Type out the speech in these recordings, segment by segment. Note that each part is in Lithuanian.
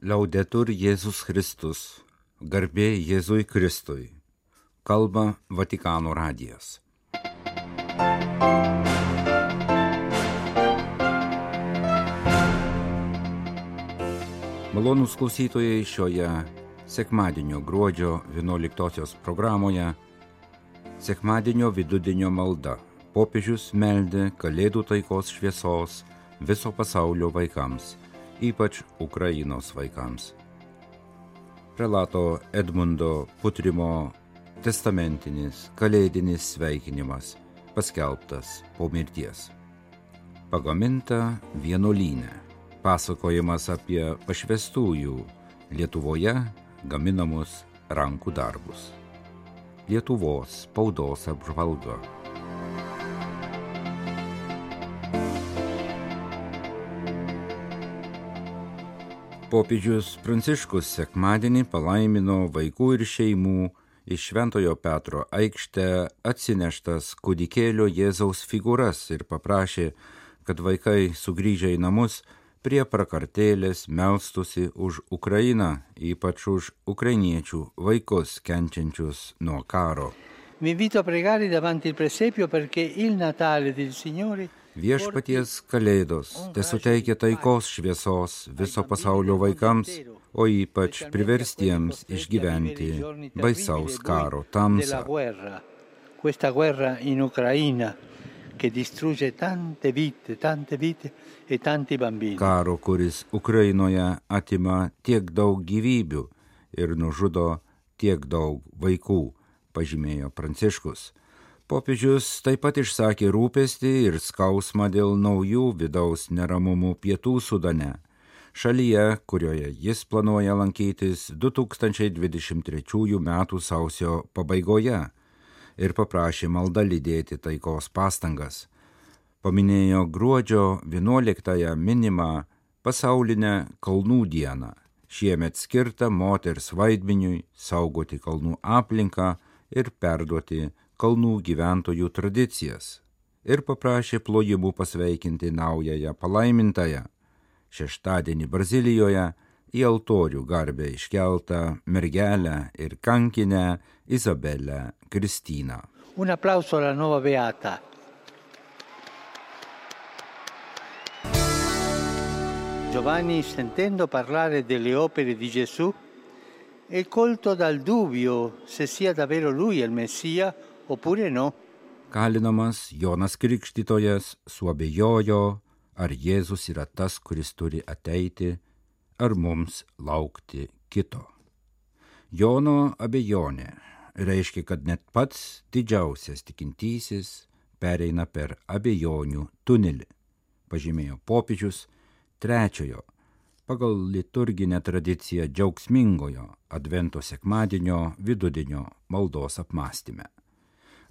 Laudetur Jėzus Kristus, garbė Jėzui Kristui, kalba Vatikano radijas. Malonūs klausytojai, šioje sekmadienio gruodžio 11 programoje sekmadienio vidudienio malda. Popiežius meldė Kalėdų taikos šviesos viso pasaulio vaikams, ypač Ukrainos vaikams. Prelato Edmundo Putrimo testamentinis kalėdinis sveikinimas paskelbtas po mirties. Pagaminta vienuolyne. Pasakojimas apie pašvęstųjų Lietuvoje gaminamus rankų darbus. Lietuvos spaudos apžvalga. Popiežius Pranciškus sekmadienį palaimino vaikų ir šeimų iš Šventojo Petro aikštę atsineštas kūdikėlio Jėzaus figūras ir paprašė, kad vaikai sugrįžę į namus prie prakartėlės melstųsi už Ukrainą, ypač už ukrainiečių vaikus kenčiančius nuo karo. Vi invito a pregare davanti il presepio perché il Natale del Signore Viešpaties kalėdos tesuteikia taikos šviesos viso pasaulio vaikams, o ypač priverstiems išgyventi baisaus karo tamsą. Questa guerra in Ucraina che distrugge tante vite e tanti bambini. Karo, kuris Ukrainoje atima tiek daug gyvybių ir nužudo tiek daug vaikų, pažymėjo Pranciškus. Popiežius taip pat išsakė rūpestį ir skausmą dėl naujų vidaus neramumų Pietų Sudane, šalyje, kurioje jis planuoja lankytis 2023 m. sausio pabaigoje, ir paprašė maldą lydėti taikos pastangas. Paminėjo gruodžio 11 minimą pasaulinę kalnų dieną, šiemet skirtą moters vaidmeniui saugoti kalnų aplinką ir perduoti kalnų gyventojų tradicijas, ir paprašė plojimų pasveikinti naująją palaimintąją, šeštadienį Brazilijoje į altorių garbę iškeltą mergelę ir kankinę Izabelę Kristiną. Un applauso alla nuova beata. Giovanni, sentendo parlare delle opere di Gesù, è colto dal dubbio se sia davvero lui il Messia oppure no. Kalinamas Jonas Krikštytojas suabejojo, ar Jėzus yra tas, kuris turi ateiti, ar mums laukti kito. Jono abejonė reiškia, kad net pats didžiausias tikintysis pereina per abejonių tunelį, pažymėjo popiežius trečiojo, pagal liturginę tradiciją džiaugsmingojo Advento sekmadienio vidudienio maldos apmąstyme.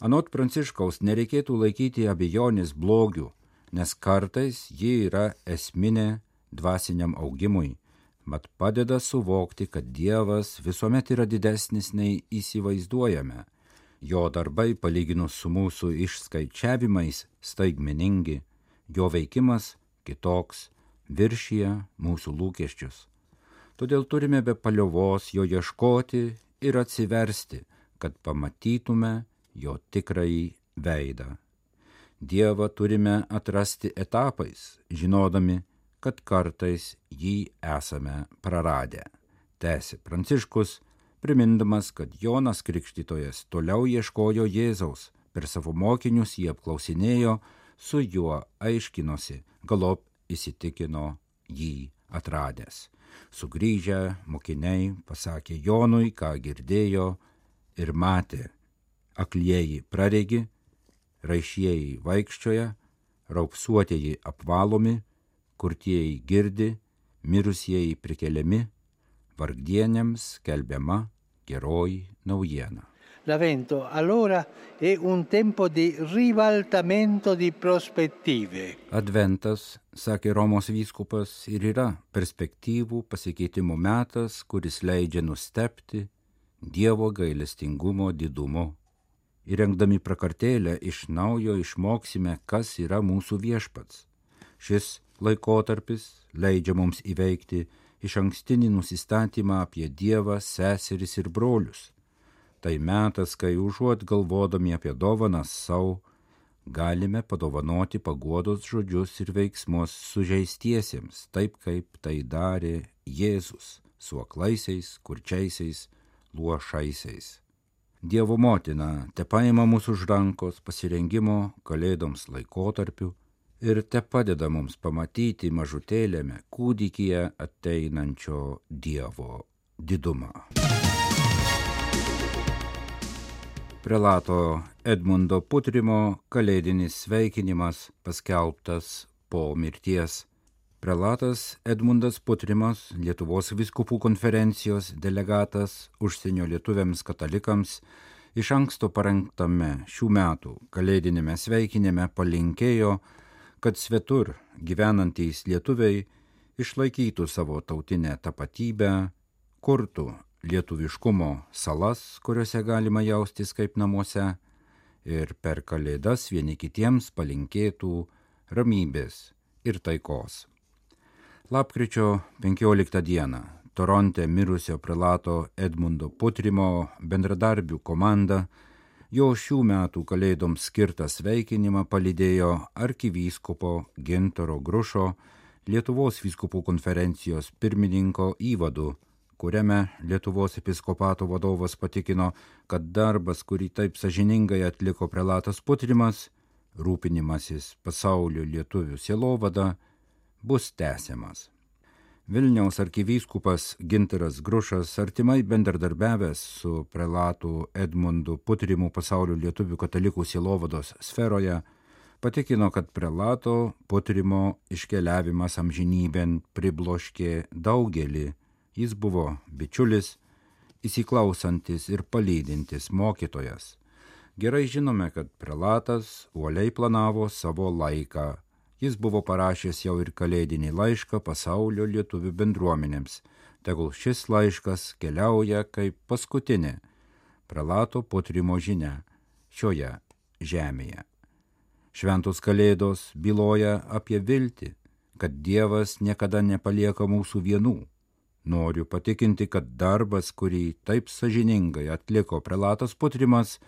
Anot Pranciškaus nereikėtų laikyti abejonės blogiu, nes kartais ji yra esminė dvasiniam augimui, mat padeda suvokti, kad Dievas visuomet yra didesnis nei įsivaizduojame. Jo darbai palyginus su mūsų išskaičiavimais staigmeningi, jo veikimas kitoks, viršija mūsų lūkesčius. Todėl turime be paliovos jo ieškoti ir atsiversti, kad pamatytume jo tikrąjį veidą. Dievą turime atrasti etapais, žinodami, kad kartais jį esame praradę. Tęsė Pranciškus, primindamas, kad Jonas Krikštytojas toliau ieškojo Jėzaus, per savo mokinius jį apklausinėjo, su juo aiškinosi, galop įsitikino jį atradęs. Sugrįžę mokiniai pasakė Jonui, ką girdėjo ir matė. Aklieji praregi, raišieji vaikščioja, raupsuotieji apvalomi, kurtieji girdi, mirusieji prikeliami, vargdieniams skelbiama geroji naujiena. L'Avvento allora è un tempo di ribaltamento di prospettive. Adventas, sakė Romos vyskupas, ir yra perspektyvų pasikeitimo metas, kuris leidžia nustebti Dievo gailestingumo didumu. Įrengdami prakartėlę iš naujo išmoksime, kas yra mūsų viešpats. Šis laikotarpis leidžia mums įveikti išankstinį nusistatymą apie Dievą, seseris ir brolius. Tai metas, kai užuot galvodami apie dovanas savo, galime padovanoti paguodos žodžius ir veiksmus sužeistiesiems, taip kaip tai darė Jėzus su aklaisiais, kurčiaisiais, luošaisiais. Dievo motina tepaima mūsų už rankos pasirengimo kalėdoms laikotarpiu ir tepadeda mums pamatyti mažutėlėme kūdikyje ateinančio Dievo didumą. Prelato Edmundo Putrimo kalėdinis sveikinimas paskelbtas po mirties. Prelatas Edmundas Putrimas, Lietuvos vyskupų konferencijos delegatas užsienio lietuviams katalikams, iš anksto parengtame šių metų kalėdinėme sveikinime palinkėjo, kad svetur gyvenantys lietuviai išlaikytų savo tautinę tapatybę, kurtų lietuviškumo salas, kuriuose galima jaustis kaip namuose, ir per kalėdas vieni kitiems palinkėtų ramybės ir taikos. Lapkričio 15 dieną Toronte mirusio prelato Edmundo Putrimo bendradarbių komanda jo šių metų kalėdoms skirtą sveikinimą palydėjo arkivyskupo Gintaro Grušo, Lietuvos vyskupų konferencijos pirmininko įvadu, kuriame Lietuvos episkopato vadovas patikino, kad darbas, kurį taip sąžiningai atliko prelatas Putrimas, rūpinimasis pasaulio lietuvių sielovada, bus tęsiamas. Vilniaus arkivyskupas Gintaras Grušas, artimai bendradarbiavęs su prelatu Edmundu Putrimu pasaulio lietuvių katalikų sielovados sferoje, patikino, kad prelato Putrimo iškeliavimas amžinybėn pribloškė daugelį. Jis buvo bičiulis, įsiklausantis ir palydintis mokytojas. Gerai žinome, kad prelatas uoliai planavo savo laiką. Jis buvo parašęs jau ir kalėdinį laišką pasaulio lietuvių bendruomenėms. Tegul šis laiškas keliauja kaip paskutinė prelato Putrimo žinia šioje žemėje. Šventos kalėdos byloja apie viltį, kad Dievas niekada nepalieka mūsų vienų. Noriu patikinti, kad darbas, kurį taip sąžiningai atliko prelatas Putrimas,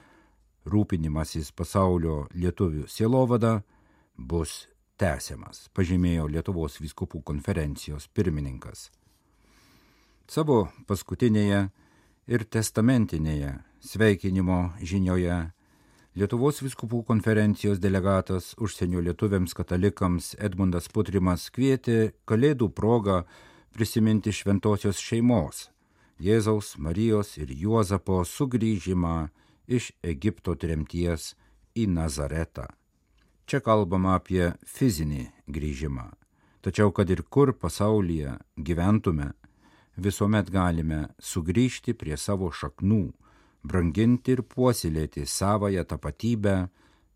rūpinimasis pasaulio lietuvių sielovada, bus tęsiamas, pažymėjo Lietuvos vyskupų konferencijos pirmininkas. Savo paskutinėje ir testamentinėje sveikinimo žinioje Lietuvos vyskupų konferencijos delegatas užsienio lietuviams katalikams Edmundas Putrimas kvietė kalėdų progą prisiminti šventosios šeimos, Jėzaus, Marijos ir Juozapo sugrįžimą iš Egipto tremties į Nazaretą. Čia kalbama apie fizinį grįžimą, tačiau kad ir kur pasaulyje gyventume, visuomet galime sugrįžti prie savo šaknų, branginti ir puoselėti savąją tapatybę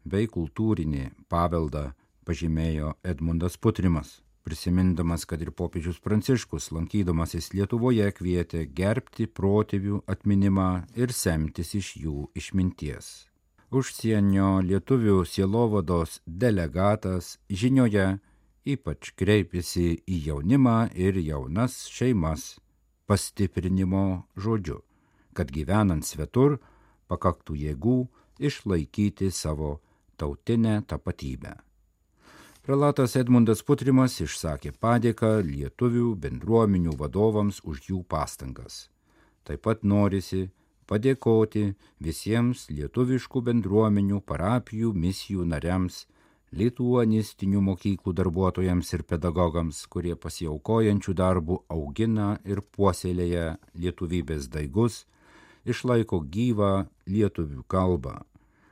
bei kultūrinį paveldą, pažymėjo Edmundas Putrimas, prisimindamas, kad ir popiežius Pranciškus, lankydamasis Lietuvoje, kvietė gerbti protėvių atminimą ir semtis iš jų išminties. Užsienio lietuvių sielovados delegatas žinioje ypač kreipėsi į jaunimą ir jaunas šeimas pastiprinimo žodžiu, kad gyvenant svetur pakaktų jėgų išlaikyti savo tautinę tapatybę. Prelatas Edmundas Putrimas išsakė padėką lietuvių bendruomenių vadovams už jų pastangas. Taip pat norisi padėkoti visiems lietuviškų bendruomenių, parapijų, misijų nariams, lituanistinių mokyklų darbuotojams ir pedagogams, kurie pasiaukojančių darbų augina ir puoselėja lietuvybės daigus, išlaiko gyvą lietuvių kalbą.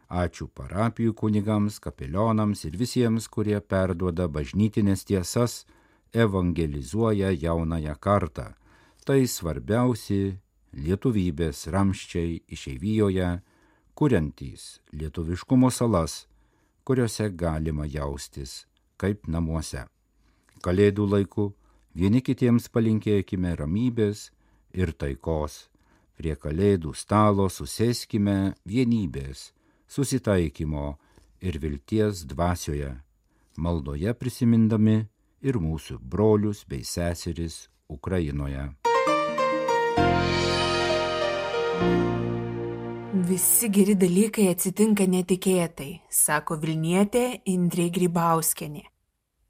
Ačiū parapijų kunigams, kapelionams ir visiems, kurie perduoda bažnytinės tiesas, evangelizuoja jaunąją kartą. Tai svarbiausi lietuvybės ramščiai išeivijoje, kuriantys lietuviškumo salas, kuriuose galima jaustis kaip namuose. Kalėdų laiku vieni kitiems palinkėkime ramybės ir taikos. Prie kalėdų stalo susėskime vienybės, susitaikymo ir vilties dvasioje, maldoje prisimindami ir mūsų brolius bei seseris Ukrainoje. Visi geri dalykai atsitinka netikėtai, sako Vilnietė Indrė Grybauskienė.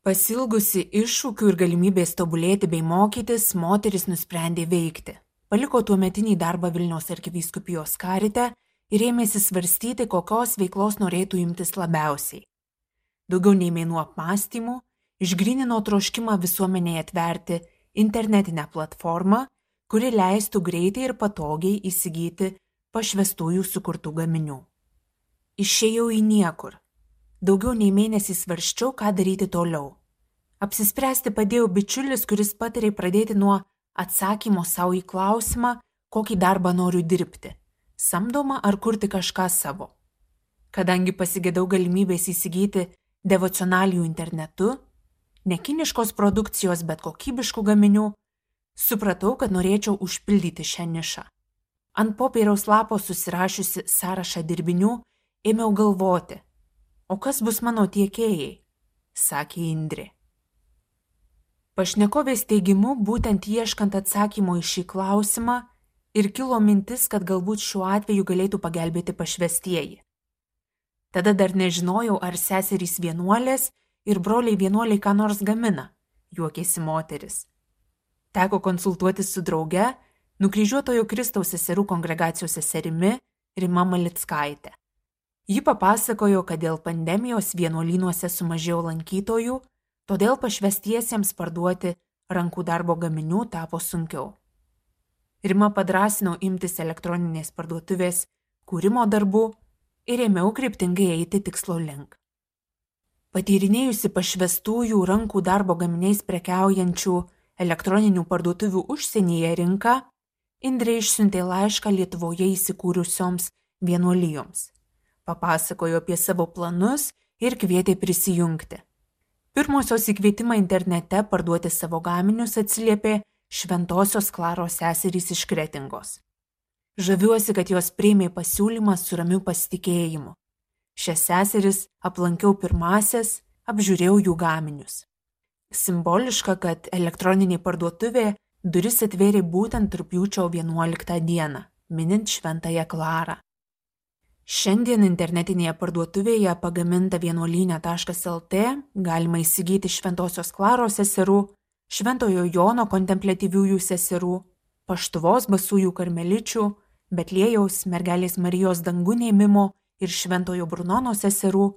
Pasilgusi iššūkių ir galimybės tobulėti bei mokytis, moteris nusprendė veikti. Paliko tuometinį darbą Vilniaus arkivyskupijos karite ir ėmėsi svarstyti, kokios veiklos norėtų imtis labiausiai. Daugiau nei mėnuo apmąstymų, išgrynino troškimą visuomenėje atverti internetinę platformą, kuri leistų greitai ir patogiai įsigyti pašvestųjų sukurtų gaminių. Išėjau į niekur. Daugiau nei mėnesį svarsčiau, ką daryti toliau. Apsispręsti padėjo bičiulis, kuris patarė pradėti nuo atsakymo savo į klausimą, kokį darbą noriu dirbti – samdomą ar kurti kažką savo. Kadangi pasigėdau galimybės įsigyti devocionalijų internetu, ne kiniškos produkcijos, bet kokybiškų gaminių, supratau, kad norėčiau užpildyti šią nišą. Ant popieriaus lapo susirašiusi sąrašą dirbinių, ėmiau galvoti, o kas bus mano tiekėjai, sakė Indrė. Pašnekovės teigimu, būtent ieškant atsakymo į šį klausimą ir kilo mintis, kad galbūt šiuo atveju galėtų pagelbėti pašvestieji. Tada dar nežinojau, ar seserys vienuolės ir broliai vienuoliai ką nors gamina, juokėsi moteris. Teko konsultuotis su drauge, Nukryžiuotojo Kristaus seserų kongregacijos seserimi Rima Malickaitė. Ji papasakojo, kad dėl pandemijos vienuolynuose sumažėjo lankytojų, todėl pašvestiesiems parduoti rankų darbo gaminių tapo sunkiau. Rima padrąsino imtis elektroninės parduotuvės kūrimo darbų ir ėmiau kryptingai eiti tikslo link. Patyrinėjusi pašvestųjų rankų darbo gaminiais prekiaujančių elektroninių parduotuvių užsienyje rinką, Indrė išsiuntė laišką Lietuvoje įsikūrusioms vienuolijoms. Papasakojo apie savo planus ir kvietė prisijungti. Pirmosios į kvietimą internete parduoti savo gaminius atsiliepė Šventosios Klaros seserys iš Kretingos. Žaviuosi, kad jos priėmė pasiūlymą su ramiu pasitikėjimu. Šias seseris aplankiau pirmasias, apžiūrėjau jų gaminius. Simboliška, kad elektroninė parduotuvė duris atvėrė būtent rugpjūčio 11 dieną, minint Šventąją Klarą. Šiandien internetinėje parduotuvėje pagaminta vienuolyne.lt galima įsigyti Šventosios Klaros seserų, Šventojo Jono kontempliatyviųjų seserų, Paštuvos basųjų karmeličių, Betliejaus mergelės Marijos dangun ėmimo ir Šventojo Brunono seserų,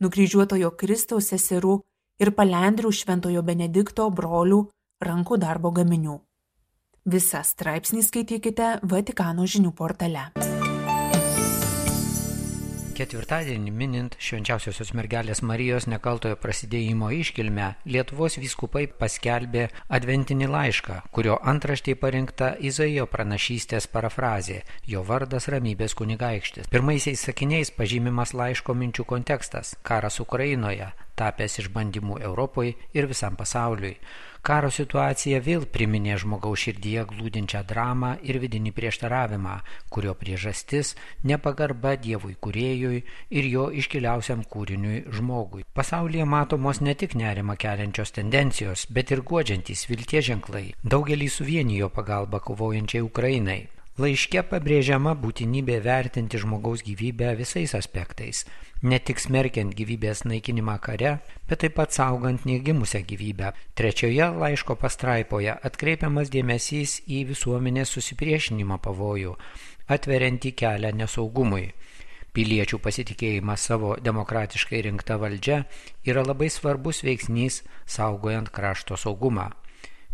Nukryžiuotojo Kristaus seserų ir Palendrių Šventojo Benedikto brolių rankų darbo gaminių. Visą straipsnį skaitykite Vatikano žinių portale. Ketvirtadienį minint Švenčiausiosios mergelės Marijos nekaltojo prasidėjimo iškilmę, Lietuvos vyskupai paskelbė adventinį laišką, kurio antraštėje parinkta Izaijo pranašystės parafrazė, jo vardas Ramybės kunigaikštis. Pirmaisiais sakiniais pažymimas laiško minčių kontekstas – karas Ukrainoje, tapęs išbandymų Europoje ir visam pasauliui. Karo situacija vėl priminė žmogaus širdyje glūdinčią dramą ir vidinį prieštaravimą, kurio priežastis nepagarba Dievui kūrėjui ir jo iškiliausiam kūriniui žmogui. Pasaulyje matomos ne tik nerimą keliančios tendencijos, bet ir guodžiantys vilties ženklai. Daugelį suvienijo pagalba kovojančiai Ukrainai. Laiške pabrėžiama būtinybė vertinti žmogaus gyvybę visais aspektais, ne tik smerkiant gyvybės naikinimą kare, bet taip pat saugant negimusią gyvybę. Trečioje laiško pastraipoje atkreipiamas dėmesys į visuomenės susipriešinimo pavojų, atveriantį kelią nesaugumui. Piliečių pasitikėjimas savo demokratiškai rinkta valdžia yra labai svarbus veiksnys saugojant krašto saugumą.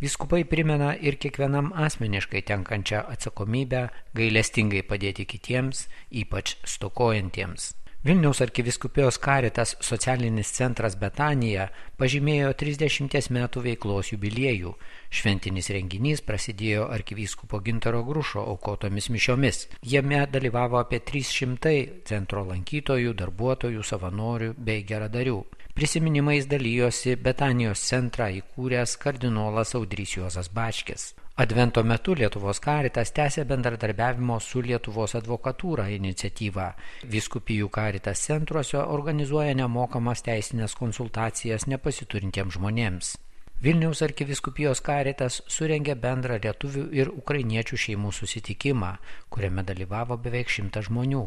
Vyskupai primena ir kiekvienam asmeniškai tenkančią atsakomybę gailestingai padėti kitiems, ypač stokojantiems. Vilniaus arkivyskupijos Caritas socialinis centras Betanija pažymėjo 30 metų veiklos jubiliejų. Šventinis renginys prasidėjo arkivyskupo Gintaro Grušo aukotomis mišiomis. Jame dalyvavo apie 300 centro lankytojų, darbuotojų, savanorių bei geradarių. Prisiminimais dalyjosi Betanijos centrą įkūręs kardinolas Audrys Juozas Bačkis. Advento metu Lietuvos Caritas tęsia bendradarbiavimo su Lietuvos advokatūra iniciatyvą. Vyskupijų Caritas centruose organizuoja nemokamas teisinės konsultacijas nepasiturintiems žmonėms. Vilniaus arkivyskupijos Caritas surengė bendrą lietuvių ir ukrainiečių šeimų susitikimą, kuriame dalyvavo beveik 100 žmonių.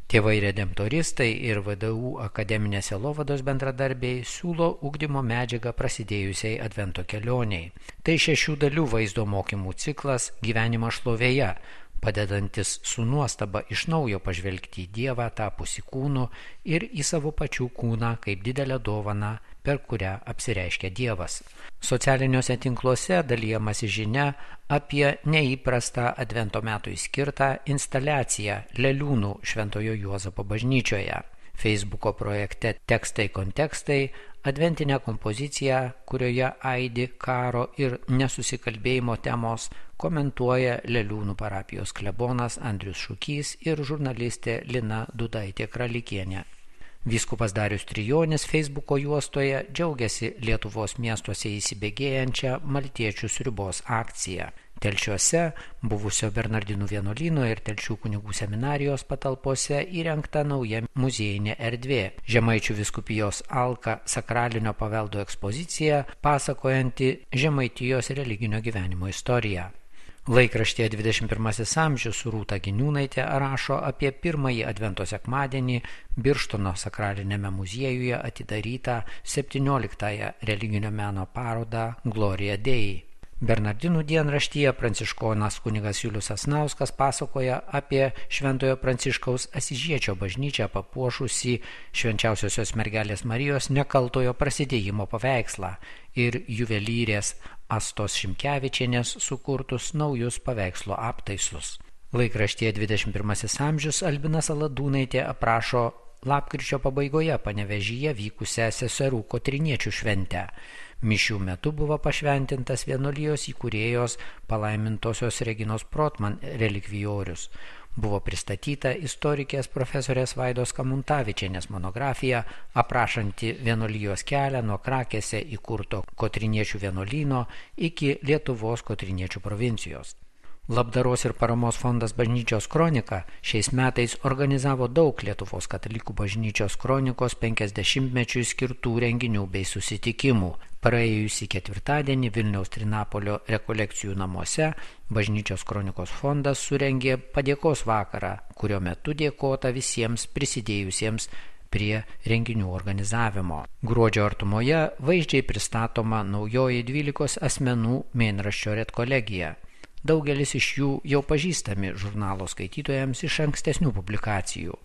Tėvai redemptoristai ir VDU akademinės sielovados bendradarbiai siūlo ugdymo medžiagą prasidėjusiai Advento kelioniai. Tai 6 dalių vaizdo mokymų ciklas Gyvenimas šlovėje, padedantis su nuostaba iš naujo pažvelgti į Dievą tapusį kūnu ir į savo pačių kūną kaip didelę dovaną, per kurią apsireiškia Dievas. Socialiniuose tinkluose dalijamasi žinia apie neįprastą Advento metui skirtą instaliaciją Leliūnų Šventojo Juozapo bažnyčioje. Facebooko projekte Tekstai kontekstai adventinę kompoziciją, kurioje aidi karo ir nesusikalbėjimo temos, komentuoja Leliūnų parapijos klebonas Andrius Šukys ir žurnalistė Lina Dudaitė Kralikienė. Vyskupas Darius Trijonis Facebooko juostoje džiaugiasi Lietuvos miestuose įsibėgėjančią Maltiečių sriubos akciją. Telšiuose, buvusio Bernardinų vienuolyno ir Telšių kunigų seminarijos patalpose įrengta nauja muziejinė erdvė. Žemaičių vyskupijos Alka sakralinio paveldo ekspozicija, pasakojanti Žemaitijos religinio gyvenimo istoriją. Laikraštyje 21 amžius Rūta Giniūnaitė rašo apie pirmąjį Advento sekmadienį Birštono sakralinėme muziejuje atidarytą 17-ąją religinio meno parodą Gloria Dei. Bernardinų dienraštyje pranciškonas kunigas Julius Sasnauskas pasakoja apie Šventojo Pranciškaus Asyžiečio bažnyčią papuošusį Švenčiausiosios mergelės Marijos nekaltojo prasidėjimo paveikslą ir juvelyrės Astos Šimkevičienės sukurtus naujus paveikslo aptaisus. Laikraštyje 21 amžius Albinas Aladūnaitė aprašo lapkričio pabaigoje Panevėžyje vykusią seserų kotriniečių šventę. Mišių metu buvo pašventintas vienuolijos įkūrėjos palaimintosios Reginos Protman relikvijorius. Buvo pristatyta istorikės profesorės Vaidos Kamuntavičienės monografija, aprašanti vienuolijos kelią nuo Krakėse įkurto kotriniečių vienuolyno iki Lietuvos kotriniečių provincijos. Labdaros ir paramos fondas Bažnyčios kronika šiais metais organizavo daug Lietuvos katalikų bažnyčios kronikos 50-mečiui skirtų renginių bei susitikimų. Praėjusį ketvirtadienį Vilniaus Trinapolio rekolekcijų namuose Bažnyčios kronikos fondas surengė padėkos vakarą, kurio metu dėkota visiems prisidėjusiems prie renginių organizavimo. Gruodžio artumoje vaizdžiai pristatoma naujoji 12 asmenų mėnraščio redkolegija. Daugelis iš jų jau pažįstami žurnalo skaitytojams iš ankstesnių publikacijų.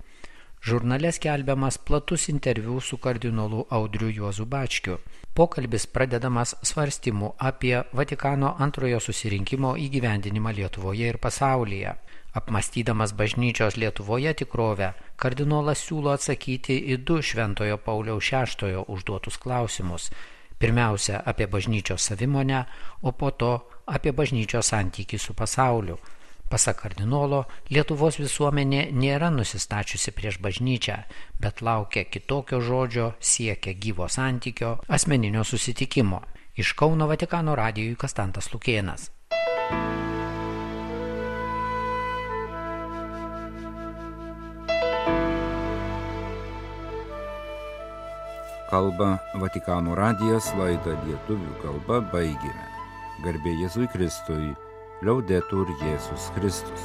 Žurnale skelbiamas platus interviu su kardinolu Audriu Juozu Bačkiu. Pokalbis pradedamas svarstymu apie Vatikano antrojo susirinkimo įgyvendinimą Lietuvoje ir pasaulyje. Apmąstydamas bažnyčios Lietuvoje tikrovę, kardinolas siūlo atsakyti į 2 Šventojo Pauliaus VI užduotus klausimus. Pirmiausia, apie bažnyčios savimonę, o po to apie bažnyčios santykį su pasauliu. Pasak kardinolo, Lietuvos visuomenė nėra nusistačiusi prieš bažnyčią, bet laukia kitokio žodžio, siekia gyvo santykio, asmeninio susitikimo. Iš Kauno Vatikano radijui Kastantas Lukėnas. Kalba Vatikano radijas, laidą lietuvių kalba baigėme. Garbė Jėzui Kristui, Liaudetur Jėzus Kristus.